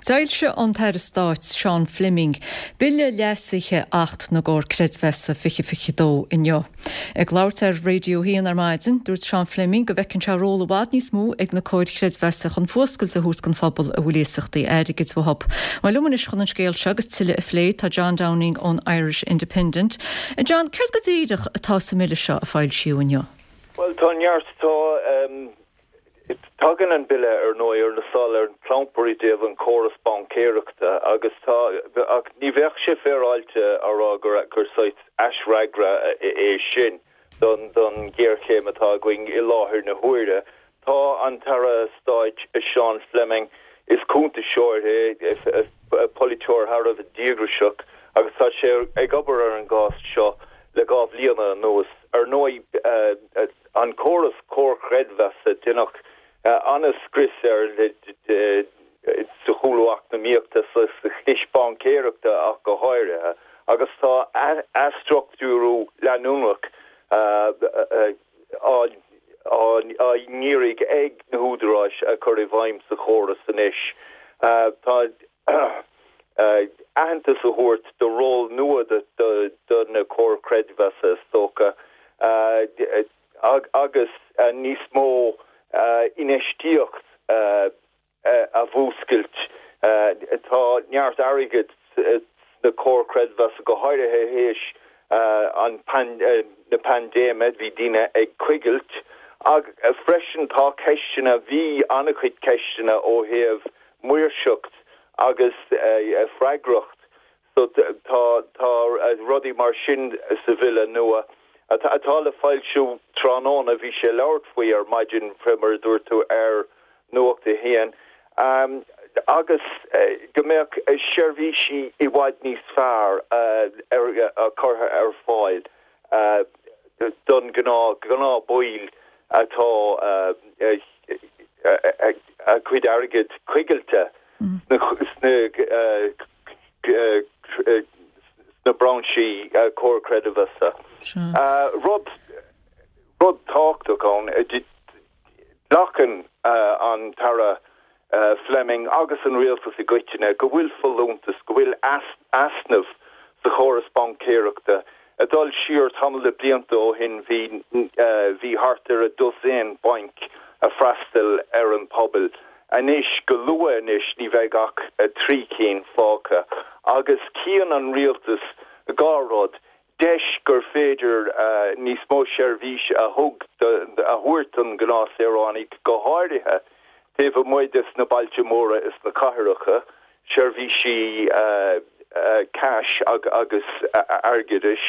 D'fhoilsigh an tAire Stáit Seán Fleming Bille leasaithe Acht na gComhar Creidmheasa 2022 inniu. Ag labhairt ar Radio 1 ar maidin, dúirt Seán Fleming go bhfeiceann sé ról i bhfad níos mó ag na comhair chreidmheasa chun fuascailt a thabhairt don phobal a bhfuil iasachtaí airgid uathu. Bhuel, liom anois chun an scéal seo agus tuilleadh a phlé tá John Downing ón Irish Independent. John, céard go díreach atá sa mbille seo a foilsíodh inniu? Bhuel, tá neart, tá, tagann an bille ar ndóigh ar na sála ar an gclampar i dtaobh an córas baincéireachta agus tá, ach ní bheadh sé féaráilte a rá gur, gur saghas aisfhreagra é sin don, don ghéarchéim atá againn i láthair na huaire. Tá an tAire Stáit Seán Fleming, is cuntasóir é, polaiteoir thar a bheith díograiseach agus tá sé ag obair ar an gcás seo le 2 bhliana anuas. Ar ndóigh, an córas comhar creidmheasa, deineadh an-scrios air sa chúlú eacnamaíochta, sa chlis baincéireachta ach go háirithe, agus tá athstruchtúrú leanúnach á n-iarraidh ag na húdaráis a chur i bhfeidhm sa chóras anois. Tá aitheantas a thabhairt do ról nua do na comhair chreidmheasa, is dócha, agus níos mó infheistíocht a mhúscailt. Tá neart airgid sna comhair chreidmheasa, go háirithe théis na paindéime, bhí daoine ag coigilt. Ach freisin tá ceisteanna, bhí an-chuid ceisteanna ó thaobh maoirseacht agus freagracht. So tá tá rudaí mar sin sa bhille nua atá le foilsiú tráthnóna, bhí sé ag labhairt faoi ar maidin, fé mar a dúirt tú, ar Nuacht a hAon, agus go mbeadh seirbhísí i bhfad níos fearr curtha ar fáil don gnáth gnáthbhaill atá a gcuid airgid coigilte sna sna brainsí comhar creidmheasa. Rud rud tábhachtach ann, glacann an tAire Fleming agus an rialtas i gcoitinne go bhfuil folúntas, go bhfuil easnamh sa chóras baincéireachta. Ag dul siar tamall de blianta ó shin bhí bhí thart ar a dosaen bainc a freastal ar an pobal. Anois, go luath anois, ní bheidh ach 3 cinn fágtha. Agus cíonn an rialtas 2 rud, deis gur féidir níos mó seirbhís a thug a thabhairt don ghnáthsaoránaigh, go háirithe taobh amuigh des na bailte móra is na cathracha, seirbhísí cash agus airgeadais,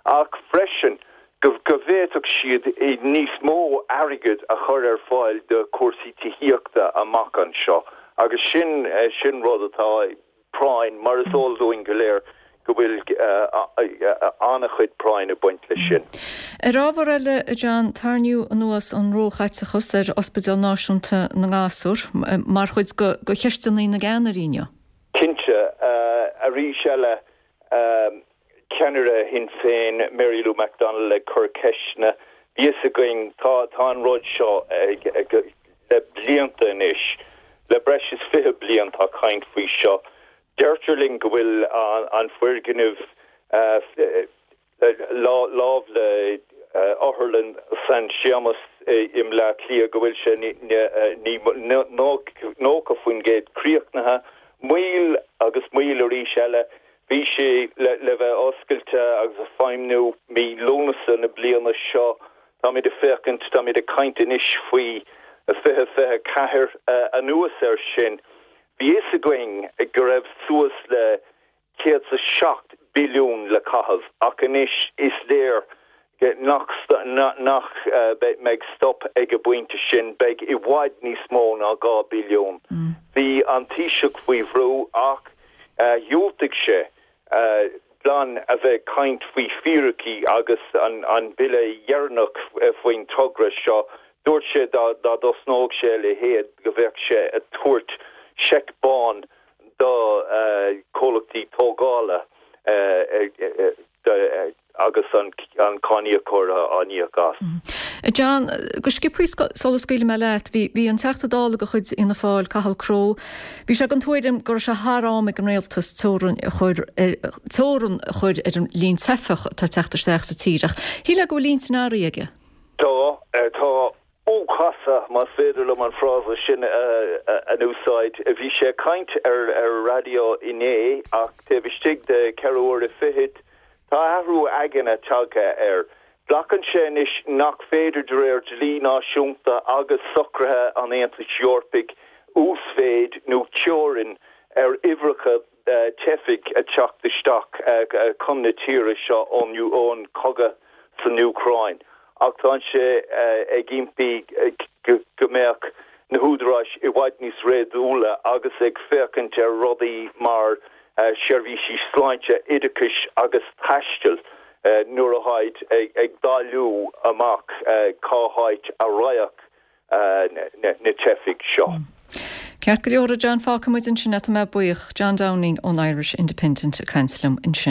ach freisin go bhféadfadh siad níos mó airgid a chur ar fáil do chúrsaí tithíochta amach anseo agus sin sin rud atá práinn, mar is eol dúinn go léir go bhfuil an-chuid práinn ag baint leis sin. Ar ábhar eile, a John, tarraingíodh anuas an róchaiteachas ar Ospidéal Náisiúnta na nGasúr mar chuid de cheisteanna na gceannairí inniu. Cinnte. Arís eile, ceannaire Shinn Féin, Mary Lou McDonald ag cur ceisteanna. Bhí fhios againn, tá, tá an rud seo ag, ag, le blianta anois, le breis is 20 bliain tá caint faoi seo. Deirtear linn go bhfuil an foirgneamh láimh le Otharlann San Séamas i mBleá Cliath, go bhfuil sé 90% críochnaithe. Moill agus moill arís eile. Bhí sé le bheith oscailte agus ag feidhmniú mí Lúnasa na bliana seo. Táimid ag féachaint, táimid ag caint anois faoi 2024. Anuas air sin, bhí fhios againn go raibh suas le 107 billiún le caitheamh ach anois is léir nach nach mbeidh stop ag an bpointe sin, beidh i bhfad níos mó ná 2 billiún. Bhí an Taoiseach faoi bhrú ach dhiúltaigh sé glan a bheith ag caint faoi fíricí agus an bille dheireanach faoin togra seo. Dúirt sé dá dtosnódh sé a leithéid go bheadh sé ag tabhairt seic bán do chomhlachtaí tógála agus an. an cáiníocóir á n-íoc as. A John, go sciobthaí sula scaoilfidh mé leat, bhí, bhí an Teachta Dála de chuid Fhianna Fáil, Cathal Crowe, bhí sé den tuairim go raibh sé thar am ag an Rialtas teorainn a chur ar, teorann a chur ar an líon teifeach atá ag teacht isteach sa tír ach shílfeá go bhfuil intinn athraithe aige. Tá, tá. Ó casadh, más féidir liom an frása sin a úsáid. Bhí sé ag caint ar ar raidió inné ach taobh istigh de cheithre huaire fichead tá athrú aigne tagtha air. Glacann sé anois nach féidir de réir dlí náisiúnta agus socruithe an Aontais Eorpaigh uasmhéid nó teorainn ar uimhreacha teifigh ag teacht isteach chun na tíre seo ón chogadh san Úcráin ach tá sé ag impí go mbeadh na húdaráis i bhfad níos réadúla agus ag féachaint ar rudaí mar seirbhísí sláinte, oideachais agus taistil nuair atáid ag dáileadh amach cá háit a raghadh na teifigh seo. Ceart go leor, a John, fágfaidh muid ansin é, tá mé buíoch. John Downing ón Irish Independent ag caint liom ansin.